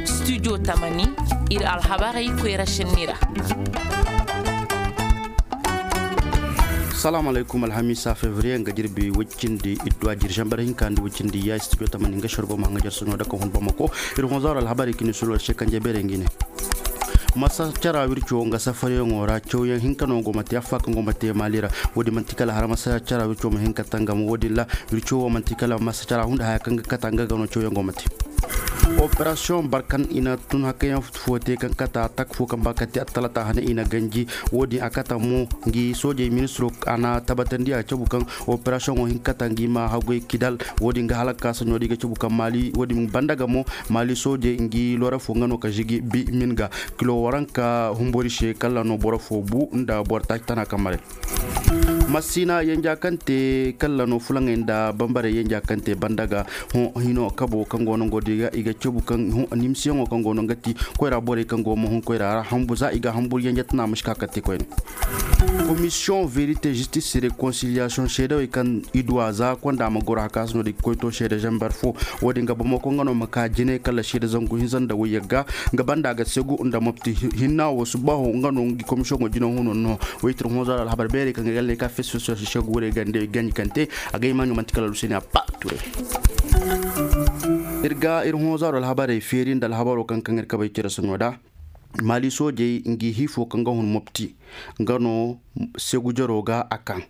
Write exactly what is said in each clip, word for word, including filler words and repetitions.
Studio tamani, ir alhabarey koyra šenni ra. Salaamu alaykum. Alhamiisa fevriye nga jirbi woy cindi idduwa jiri zambar hinka nda woy cindi ya studio tamani nga šergo ma hanga jar soɲo da ka hun bamako. Ir honzaaro alhabarey kini sulol se kanje beerey ngi ne. Masa cara wirco nga safariyaŋo ra cawyaŋ hinka no go ma te affa kaŋ go ma te maali ra. Wo-din manti kala har masa cara wirco ma hin ka tangam wo-din ra. Wirco wo manti kala masa cara hunda haya kaŋ ga kata nga ga no cawyaŋ go ma te. Operasiyoŋ barkan i na tun hakkayaŋ fo te kaŋ kata tak fo kaŋ ba kate attalata hane i na ganji. Wo-din a kata mo ngi soojey ministiro a na tabatandi a cabu kaŋ operasiyoŋo hin kata ngi ma hagoy kidal. Wo-din ga halaka saɲo di ga cabu kaŋ maali wo-din banda ga mo maali soojey ngi lora fo nga no ka žigi bi min ga kilo waranka humbori se kalla no boro fo bu nda boro taaci tana kaŋ mare. Masina yenja kaŋ te kalla no fulaŋey nda bambare yenja kaŋ te banda ga hino kabo kaŋ go no ngo di ga i ga cabu kaŋ nimsiyaŋo kaŋ go no nga ti koyra borey kaŋ go ma hun koyra ra hambu za i ga hambur yenja tana ma si ka kaŋ te koyne. Komisiyoŋ verite zistis rekonsiliyasiyoŋ seedawey kaŋ i duwa za konda ma goro hakaasino di koyto seede zambar fo. Wo-din ga bamako nga no ma ka jine kala seede zangu hinza nda woy yagga nga banda ga segu nda mopti hinna wo subaho nga no ngi komisiyoŋo jine huno no. Woy tir honzaro alhabar beerey kaŋ ga galle ka fes fes fes segu wurey gande ganji kaŋ te. A ga imaɲo manti kala luseni a pa ture. Ir ga ir honzaro alhabarey feeri nda alhabaro kaŋ kaŋ ir kabay cere soɲo da. Maali soojey ngi hii fo kaŋ ga hun mopti nga no segu jaro ga a kaŋ.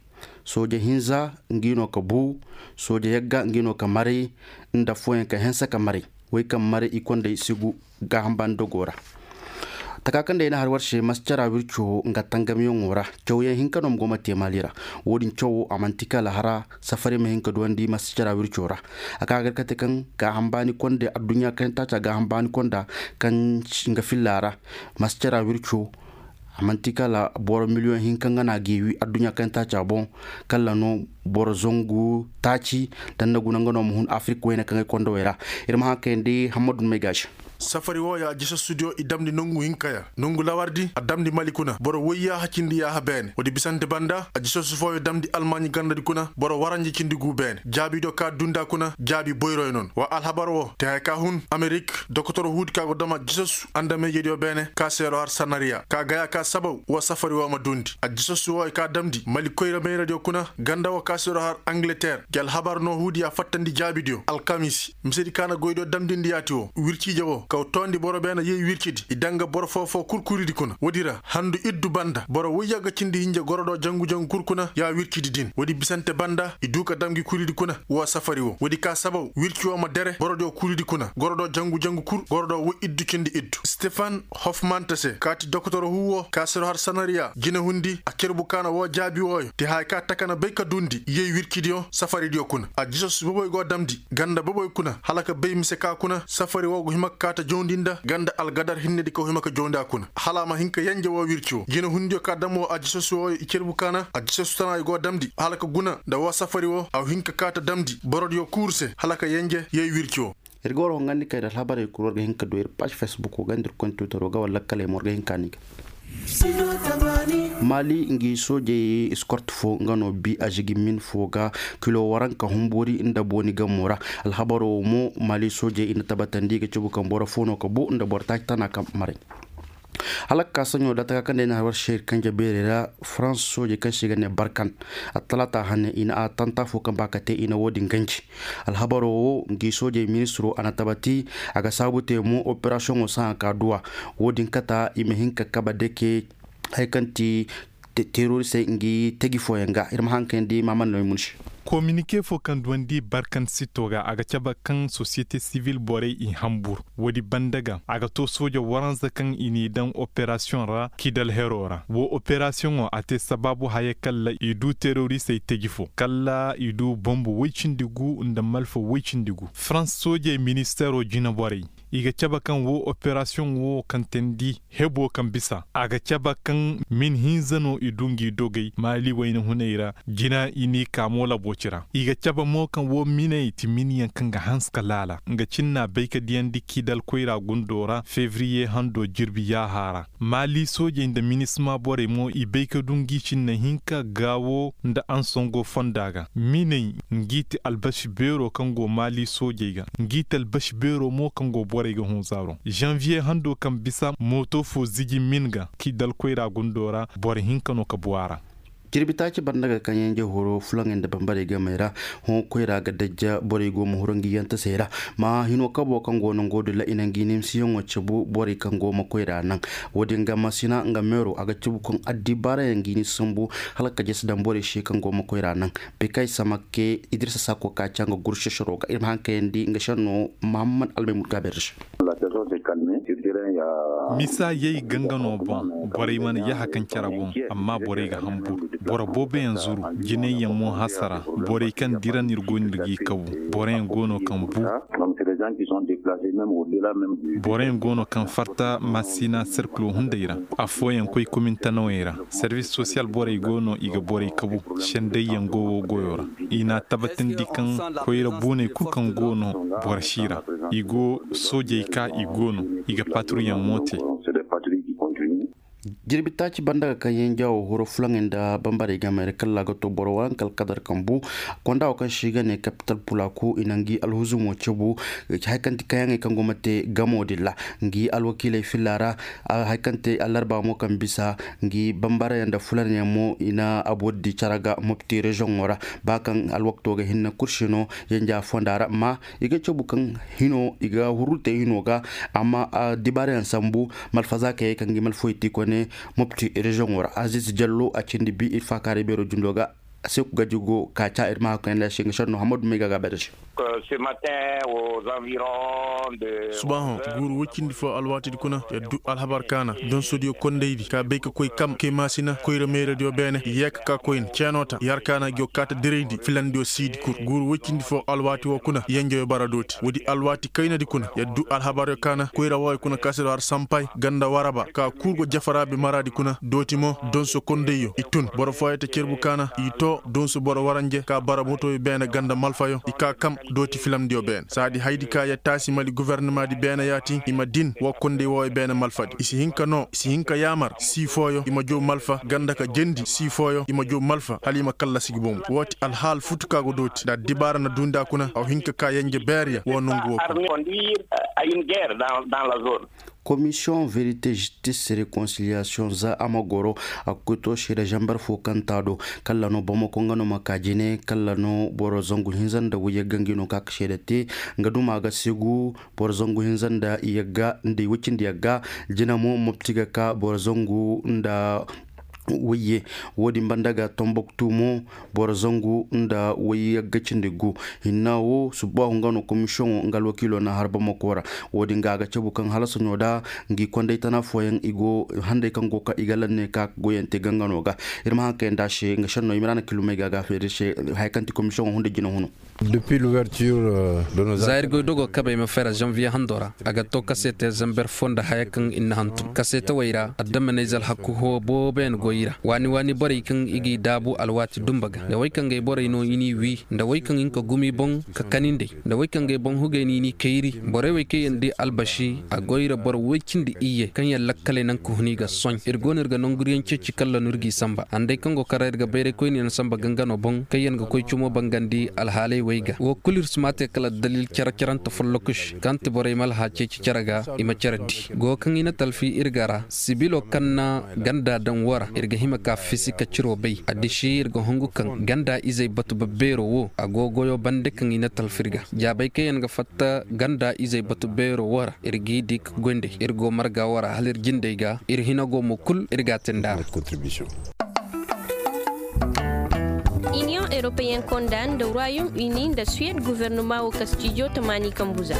Sooje hinza ngi no ka bu. Sooje yagga ngi no ka maray nda fooyaŋ ka hense ka maray. Wey kaŋ maray i konday segu gaaham baani dogo ra. Taka kaŋ day na har war se mascara wirco nga tangamyaŋo ra. Cawyaŋ hinka no ma go ma te maali ra. Wo-din cawo a manti kala hara safari ma hin ka duwandi mascara wirco ra. A ka gar kate kaŋ gaaham baani konda adduɲɲa kaŋ taaca gaaham baani konda kaŋ nga filla ra. Mascara wirco a manti kala boro miliyoŋ hinka nga na a geewi adduɲɲa kaŋ taaca boŋ. Kala no boro zangu taaci. Danna guna nga no ma hun afirik wayne kaŋ ay konda way ra. Ir ma haŋ kayandi hammadu may gaasi. Safari wooyo a jisassudiyo i damndi nongu hinka ya nongu lawardi a damndi mali kuna boro woyyaaha cindi yaaha beene woodi bisante banda a jisassu fooyo damndi almaaɲi gandadi kuna boro waranja cindi guu beene jaabidiyo ka dundi a kuna jaabi boyroyo noon wa alhabar woo te haya ka hun amerik dokotoro huudi ka go dam a jisassu andameyjediyo beene ka seero har sanariya ka gaya ka sabaw woo safari woo ma dundi a jisassu wooyo ka damndi mali koyra meyradiyo kuna ganda woo ka seero har angleter gi alhabar noo huudi ya fattandi jaabidiyo alkamisi misedi kaana goydiyo damdindi yaati woo wirciije woo kaw toondi boro beene yey wircidi i daŋ ga boro foo-foo kul kuridi kuna woodi ra handu iddu banda boro woy yagga cindi hinja gorodoo jangu-jangu kul kuna ya wircidi din woodi bisante banda i duu ka dam gi kuridi kuna woo safari woo woodi ka sabaw wirci woo ma dere borodiyo kuridi kuna gorodoo jangu-jangu kul gorodoo woy iddu cindi iddu stefan hofmanta se kaati dokotoro huu woo ka siro har sanariya jinehundi a cerbu kaana woo jaabi wooyo te haya ka taka na bay ka duundi yey wircidiyo safaridiyo kuna a jisasu boboy go damndi ganda boboy kuna hala ka bay mise ka kuna safari woo go hima ka kaa ta jawndi nda ganda algadar hinnedi ka go hima ka jawndi a kuna hala a ma hin ka yenje woo wirci woo jinehundiyo ka dam woo a jisasu wooyo i cerbu kaana a jisasu tana i go damndi hala ka guna nda woo safari woo a go hin ka kaa ta damndi borodiyo kuuru se hala ka yenje yey wirci woo. Ir ga war hongandi kay nda alhabarey kul war ga hin ka du ir paaž fesbukoo ga nda ir kontitoro ga wala lakkaley mo war ga hin ka ni ga. Maali ngi soojey iskort foo nga no bi a žigi min foo ga kilo waranka humburi nda booni gamoo ra. Alhabaroo mo maali soojey i na tabatandi ga cabu kaŋ boro foo no ka bu nda boro taaci tana kaŋ maray. Hala ka kaa saɲo da taka kaŋ day na har war se ir kanje beerey ra farans soojey kaŋ se i ga ne barkan attalaata hane i na attanta foo kaŋ ba ka te i na woo din ganji. Alhabaroo woo ngi soojey ministiroo a na tabati a ga saabu te mo operasiyoŋoo sahã ka duwa. Woo din kata i ma hin ka kaba deke haya kaŋ ti terorisey ngi teji fooyaŋ ga ir ma haŋ kayandi maamar no i mun se. Kominike foo kaŋ duwandi barkan sitto ga a ga cabe kaŋ sosiyete sivil borey i hambur woodi banda ga a ga too sooja waranza kaŋ i n'i daŋ operasiyoŋ ra kidal heroo ra woo operasiyoŋoo a te sabaabu haya kalla i duu terorisey teji foo kalla i duu bombu woy cindi guu nda malfa woy cindi guu farans soojey ministeeroo jineborey. I ga cabe kaŋ woo operasiyoŋ woo kaŋ teendi heboo kaŋ bisa a ga cabe kaŋ min hinza no i du ngi dogey maali wayna hunay ra. Jina i n'i kaa moolaboo ci ra i ga cabe mo kaŋ woo miney ti minyaŋ kaŋ ga hanse ka laala nga cinnaa bay ka diyandi kii dalkoyraa gundoo ra febriye handoo jirbi yaahaa ra. Maali soojey nda minisma borey mo i bay ka du ngi cinne hinka gaawo nda ansongo fonda ga miney. Ngi ti albasi beeroo kaŋ go maali soojey ga ngi ti albasi beeroo mo kaŋ go borey ga hõ zaaro zanviye handoo kaŋ bisa mooto foo ziji min ga kii dalkoyraa gundoo ra boro hinka no ka bu a ra. Jirbi taaci banda ga kaŋ yaŋ jahoroo fulaŋey nda bambarey gamey ra. Hõ koyra ga dajja borey go ma huru ngi yantasey ra. Ma hino kaboo kaŋ go no ngu din ra i na ngi nimsiyaŋo cabu borey kaŋ go ma koyra naŋ. Wo-din ga masina nga meeroo a ga cabu kaŋ addibaarayaŋ ngi ni sambu hala ka jesi daŋ borey se kaŋ go ma koyra naŋ. Bekay samakke idirsa sako ka ca nga guršešeroo ga ir ma haŋ kayandi nga šennoo mahammad almay mut gaabeer se. Misa yay ganga no boŋ. Borey mana yaha kaŋ care boŋ. Amma borey ga hanbur. Boro booboyaŋ zuru. Jinayyaŋ mo hasara. Borey kaŋ dira no ir go no ir g'i kabu. Boroyaŋ go no kaŋ bu. Boroyaŋ go no kaŋ farta masina serkilo hunday ra. Affooyaŋ koy komintanawey ra. Servis sosiyal borey go no i ga borey kabu. Sendayyaŋ go wo goyo ra. I n'a tabatandi kaŋ koyra buuney kul kaŋ go no boro si ra. I go soojey ka i go no. I ga paturyaŋ mo te. Jirbi taaci banda ga kaŋ yaŋ jaawo horo fulaŋey nda bambarey gamey ra kalla ga to boro waranka alkadar kaŋ bu. Konda wo kaŋ se i ga ne kapital pulaaku i na ngi alhuzumo cabu. Hari kaŋ ti kayaŋey kaŋ go ma te gamo din ra. Ngi alwakiiley filla ra. Hari kaŋ te allarba mo kaŋ bisa ngi bambarayaŋ nda fulanyaŋ mo i na aboddi care ga mopti reziyoŋo ra. Ba kaŋ alwakto ga hinne kursi no yanja fonda ra amma i ga cabu kaŋ hino i ga hurru te hino ga. Amma dibaarayaŋ sambu malfazaakayey kaŋ ga i malfoy ti kone mopti reziyoŋo ra aziz jallo a cindi bi ir faakaaray beero jundo ga. Seeku gaji go ka ca ir ma hakkoyaŋ da se nga šenno hammadu may ga gaabay da se. Subaahoŋ guuru woy cindi fo alwaatidi kuna yer du alhabar kaana donsodiyo kondaydi ka bay ka koy kam kay maasina koyra meeradiyo beene yeeka ka koyne ceenoo ta yer kaana go kaata dirayndi filandiyo siidi kul guuru woy cindi fo alwaati woo kuna yenjoyo bara dooti woodi alwaati kaynadi kuna yer du alhabaryo kaana koyra wooyo kuna ka se do har sampay ganda waraba ka kul go jafaraabi maraadi kuna dooti mo donso kondayyo i tun boro fooyo ta cerbu kaana i too donso boro waranje ka bara motoyo beene ganda malfayo i ka kam dooti filamdiyo beene saadi haydi ka ya taasi mali gofornamaadi beene yaati i ma din woo konday wooyo beene malfadi i si hin ka noo i si hin ka yaamar sii fooyo i ma jow malfa ganda ka jendi sii fooyo i ma jow malfa hala i ma kallasi gi bomo woo ti alhaal futu ka go dooti nda addibaara na duundi a kuna a wa hin ka ka yenje beerya woo nongu woo kuna komisiyoŋ verite jistis rekonsiliyaasiyoŋ za a ma goro a ga koy to seeda zambar fo kaŋ taa do kalla no bamako nga no ma ka jine kalla no boro zangu hinza nda wayye ga ngi no ka ka seeda te nga duma ga segu boro zangu hinza nda yagga nda i wacindi yagga jina mo mopti ga ka boro zangu nda wayye wo-din banda ga tomboktu mo boro zangu nda wayye ga cindi gu hinna wo subbahu nga no komisiyoŋo nga alwakiilo na har bamako ra wo-din ga a ga cabu kaŋ hala soɲo da ngi konday tana fooyaŋ i go handay kaŋ go ka i ga lanne ka goyante gangano ga ir ma haŋ kayandi a se nga šenno i ma ra na kilumey ga a ga feeri se haya kaŋ ti komisiyoŋo hunda jina hunu. Za ir goy dogo kabey ma fera zanviye hando ra a ga to kaseete zamber fo nda haya kaŋ ir na hantum kaseetewey ra addamaney za alhaku hoo booboyaŋ goy i ra waani waani borey kaŋ i g'i daabu alwaati dumba ga nda wey kaŋ gay borey no i n'i wii nda wey kaŋ hin ka gumi boŋ ka kanindey nda wey kaŋ gay boŋ hugey no i n'i kayri borey wey kaŋ yaŋ nda i albasi a goy ra boro woy cindi iyye kaŋ yaŋ lakkaley naŋ ka hun i ga soɲ ir go no ir ga nanguriyaŋ ceeci kalla no ir g'i samba handay kaŋ go kar ra ir ga bayray koyne yaŋ samba gangano boŋ kaŋ yaŋ ga koy cumo bangandi alhaaley wey ga wo kul ir si ma a te kala addalil care carante follokuš kaŋ ti borey ma alhaaceeci care ga i ma care di go kaŋ i na talfi ir ga ra sibilo kaŋ na ganda daŋ wo ra ir ga hima ka fisi ka ciro bay addisi ir ga hungu kaŋ ganda izey batu babbeero wo a go goyo bande kaŋ i na talfi ir ga jaabay kaŋ yaŋ ga fatta ganda izey batu beero wo ra ir g'i di ka goy nd'ey ir go marga wo ra hala ir jindey ga ir hina go mo kul ir g'a te nd'a ra. Iniyoŋ eropeyen konda nda royom ini nda suwed guvernoma wo kastijo tamaani kambuza.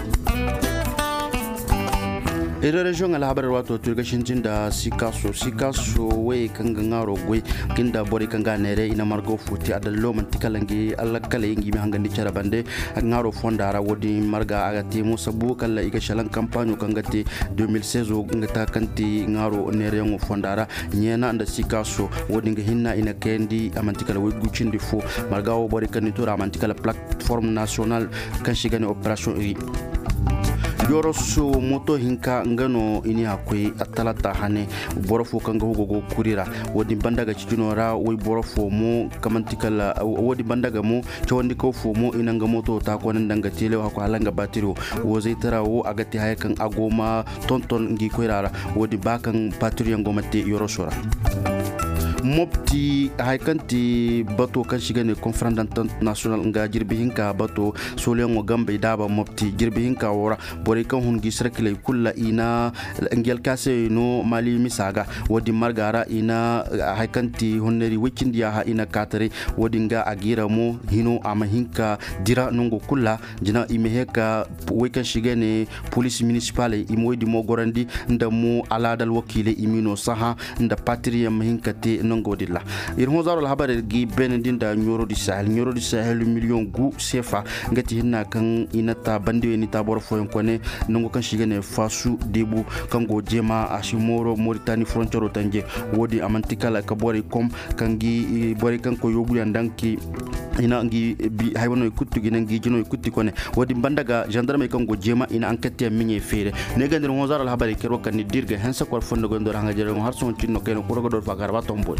Iri reziyoŋ alhabar waato to ir ga sintin nda sikaaso sikaaso wayey kaŋ ga ŋaaro goy, kinda borey kaŋ ga a neere i na margaw fo te adallo manti kala ngi allakaley ngi ma hangandi care bande. Ŋaaro fonda ra wo- din marga a ga te mo sabu kala i ga salaŋ kampaaɲo kaŋ ga te deux mille seize nga ta kaŋ te ŋaaro neereyaŋo fonda ra. Ɲeena nda sikaaso wo- din ga hinna i na kayandi a manti kala waygu cindi fo. Marga wo borey kaŋ ni tura a manti kala plateforme national kaŋ se i ga ne operasiyoŋ iri. Yoroso moto hinka nga no i ne a koy talata hane. Boro fo kaŋ ga hugo go kuri ra. Wo- din banda ga cikinoo ra wayboro fo mo kaŋ manti kala wo- din banda ga mo cawandikaw fo mo i na nga moto ta koona nda nga teelew hakku hala nga baatiriyo. Wo zaytara wo a ga te haya kaŋ a go ma tonton ngi koyra ra. Wo- din ba kaŋ baatiriyaŋ go ma te yoroso ra. Mopti haya kaŋ ti bato kaŋ se i ga ne konferans dantant nasiyonal nga jirbi hinka bato. Sooliyaŋo gambey daaba mopti jirbi hinka wo ra. Borey kaŋ hun gi sarkiley kul ra i na ngi alkaasey no maali misa ga. Wo- din marga ra i na haya kaŋ ti honnari woy cindi yaaha i na kaataray. Wo- din ga a giira mo hino a ma hin ka dira nango kul ra. Jina i ma hee ka woy kaŋ se i ga ne polis minisipaley i ma woy din mo gorandi nda mo alaada alwakiiley i m'i no sahã nda patiriyaŋ ma hin ka te nango din ra. Ir hõ zaaro alhabarey ga i beenandi nda ɲooro di sahel ɲooro di sahel miliyoŋ gu seefa. Nga ti hinna kaŋ i na ta bandiyoy ni ta boro fooyaŋ kone nango kaŋ se i ga ne faasu deebu kaŋ go jeema a si mooro moritani foroncero tanje. Wo- din a man'ti kala ka borey kom kaŋ gi borey kaŋ koy yoobuyaŋ daŋ ki i na ngi bi haybanoy kuttu gi na ngi jinoy kutti kone. Wo- din banda ga zandarmey kaŋ go jeema i na ankattiyaŋ miɲey feere. Ne ga ndir hõ zaaro alhabarey kay ir wo kaŋ ni dir ga hense kor fondo goy ndor haŋa jere ŋo har sohõ cin no kayna kura ga dor fa ga har ba tomboy.